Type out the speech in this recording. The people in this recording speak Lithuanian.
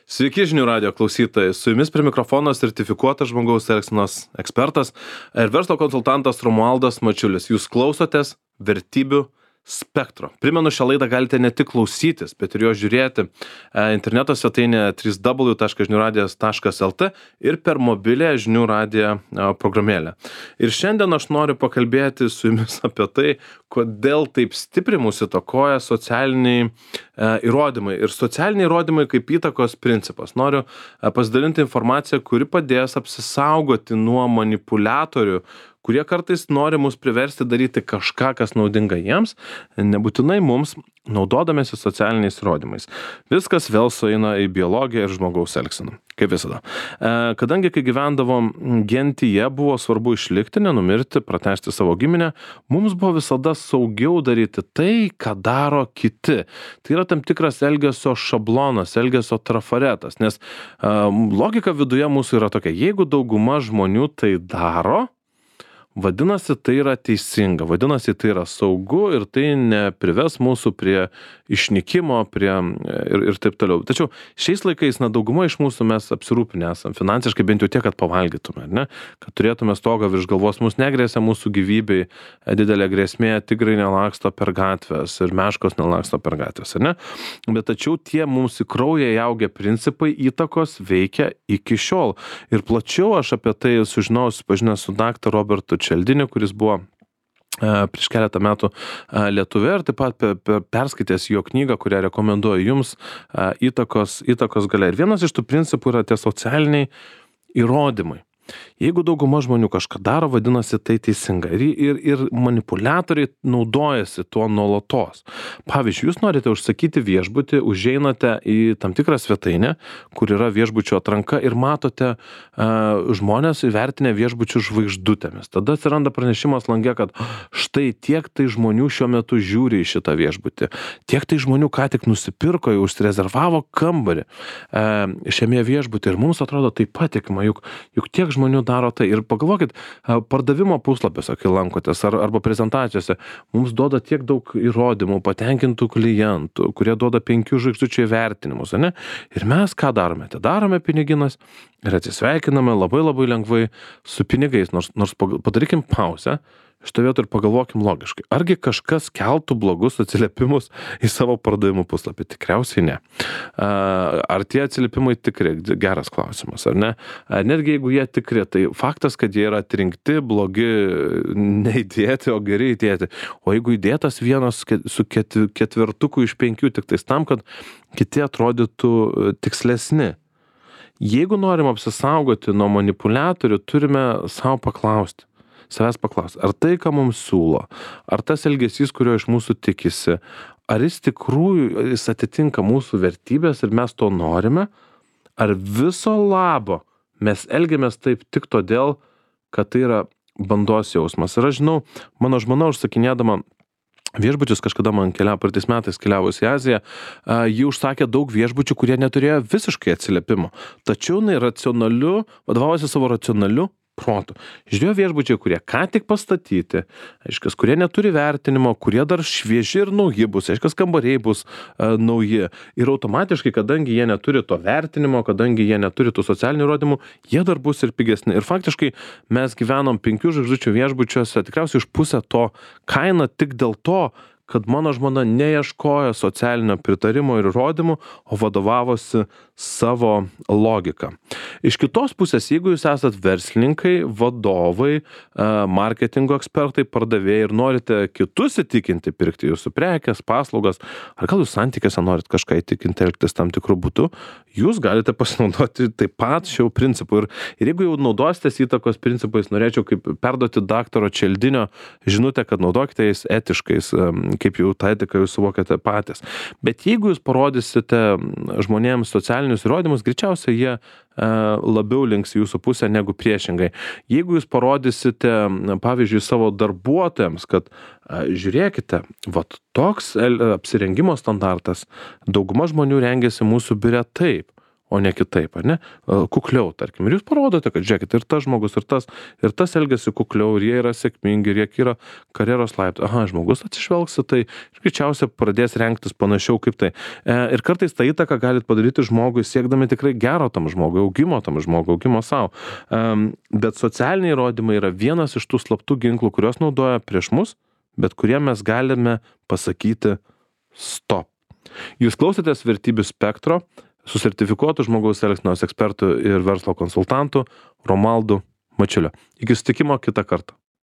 Sveiki žinių radijo klausytojai, su jumis prie mikrofono sertifikuotas žmogaus elgsenos ekspertas ir verslo konsultantas Romualdas Mačiulis. Jūs klausotės Vertybių spektro. Primenu, šią laidą galite ne tik klausytis, bet ir jo žiūrėti interneto svetainėje www.žiniuradijas.lt ir per mobilę žinių radijo programėlę. Ir šiandien aš noriu pakalbėti su jumis apie tai, kodėl taip stipriai mūsų įtakoja socialiniai įrodymai. Ir socialiniai įrodymai kaip įtakos principas. Noriu pasidalinti informaciją, kuri padės apsisaugoti nuo manipuliatorių, kurie kartais nori mus priversti daryti kažką, kas naudinga jiems, nebūtinai mums, naudodamėsi socialiniais įrodymais. Viskas vėl sueina į biologiją ir žmogaus elgseną, kaip visada. Kadangi, kai gyvendavom gentyje, buvo svarbu išlikti, nenumirti, pratęsti savo giminę, mums buvo visada saugiau daryti tai, ką daro kiti. Tai yra tam tikras elgesio šablonas, elgesio trafaretas, nes logika viduje mūsų yra tokia, jeigu dauguma žmonių tai daro, vadinasi, tai yra teisinga, vadinasi, tai yra saugu ir tai neprives mūsų prie išnykimo ir taip toliau. Tačiau šiais laikais, dauguma iš mūsų mes apsirūpinę esam finansiškai, bent jau tiek, kad pavalgytume, ne? Kad turėtume stogą virš galvos, mūsų negrėsia mūsų gyvybei didelė grėsmė, tigrai nelaksto per gatvės ir meškos nelaksto per gatvės, ne? Bet tačiau tie mums į kraują įaugę principai įtakos veikia iki šiol. Ir plačiau aš apie tai sužinojau, susipažinęs su daktaru Robertu Čeldiniu, kuris buvo prieš keletą metų Lietuvoje ir taip pat perskaitęs jo knygą, kurią rekomenduoju jums, įtakos galia. Ir vienas iš tų principų yra tie socialiniai įrodymai. Jeigu dauguma žmonių kažką daro, vadinasi tai teisinga. Ir manipuliatoriai naudojasi tuo nuolatos. Pavyzdžiui, jūs norite užsakyti viešbutį, užeinate į tam tikrą svetainę, kur yra viešbučio atranka ir matote žmonės įvertinę viešbučių žvaigždutėmis. Tada atsiranda pranešimas lange, kad štai tiek tai žmonių šiuo metu žiūri į šitą viešbutį. Tiek tai žmonių ką tik nusipirko, jau užsirezervavo kambarį šiame viešbutį. Ir mums atrodo tai patikima, juk tiek žmonių daro tai. Ir pagalvokit, pardavimo puslapiuose, kai lankotės, arba prezentacijose, mums duoda tiek daug įrodymų, patenkintų klientų, kurie duoda 5 žvaigždučių įvertinimus, ne? Ir mes ką darome? Tai darome piniginas ir atsisveikiname labai lengvai su pinigais, nors padarykim pauzę. Šitą vietą ir pagalvokim logiškai. Argi kažkas keltų blogus atsiliepimus į savo pardavimų puslapį? Tikriausiai ne. Ar tie atsiliepimai tikri? Geras klausimas, ar ne? Netgi jeigu jie tikri, tai faktas, kad jie yra atrinkti, blogi neįdėti, o geri įdėti. O jeigu įdėtas vienas su ketvirtuku iš 5, tik tais tam, kad kiti atrodytų tikslesni. Jeigu norim apsisaugoti nuo manipuliatorių, turime savęs paklausti, ar tai, ką mums siūlo, ar tas elgesys, kurio iš mūsų tikisi, ar jis atitinka mūsų vertybės ir mes to norime, ar viso labo mes elgiamės taip tik todėl, kad tai yra bandos jausmas. Ir aš žinau, mano žmona užsakinėdama viešbučius, kažkada man praeitais metais keliavus į Aziją, ji užsakė daug viešbučių, kurie neturėjo visiškai atsiliepimo. Tačiau vadovavosi savo racionaliu protu. Žiūrėjo viešbučiai, kurie ką tik pastatyti, aiškias, kurie neturi vertinimo, kurie dar švieži ir nauji bus, aiškias, kambariai bus nauji. Ir automatiškai, kadangi jie neturi to vertinimo, kadangi jie neturi tų socialinių įrodymų, jie dar bus ir pigesni. Ir faktiškai mes gyvenom 5 žvaigždučių viešbučiuose, tikriausiai už pusę to kainą tik dėl to, kad mano žmona neieškojo socialinio pritarimo ir įrodymų, o vadovavosi savo logiką. Iš kitos pusės, jeigu jūs esat verslininkai, vadovai, marketingo ekspertai, pardavėjai ir norite kitus įtikinti pirkti jūsų prekes, paslaugas, ar gal jūs santykiuose norit kažką įtikinti elgtis tam tikrų būdų, jūs galite pasinaudoti taip pat šių principų. Ir jeigu jau naudositės įtakos principais, norėčiau kaip perduoti daktaro Čeldinio žinutę, kad naudokite jais etiškais, kaip jau tą etiką jūs suvokiate patys. Bet jeigu jūs parodysite žmonėms socialinius įrodymus, greičiausiai jie labiau links į jūsų pusę negu priešingai. Jeigu jūs parodysite, pavyzdžiui, savo darbuotojams, kad žiūrėkite, toks apsirengimo standartas, dauguma žmonių rengiasi mūsų biure taip, o ne kitaip, ar ne? Kukliau, tarkim. Ir jūs parodote, kad žiūrėkit, ir tas žmogus, ir tas elgiasi kukliau, ir jie yra sėkmingi, ir jie yra karjeros laiptai. Aha, žmogus atsižvelgs į tai ir greičiausiai pradės rengtis panašiau kaip tai. Ir kartais tą įtaką galit padaryti žmogui, siekdami tikrai gero tam žmogui, augimo savo. Bet socialiniai įrodymai yra vienas iš tų slaptų ginklų, kuriuos naudoja prieš mus, bet kurie mes galime pasakyti stop. Jūs klausėtės Vertybių spektro su sertifikuotu žmogaus elgsenos ekspertu ir verslo konsultantu Romualdu Mačiuliu. Iki susitikimo kitą kartą.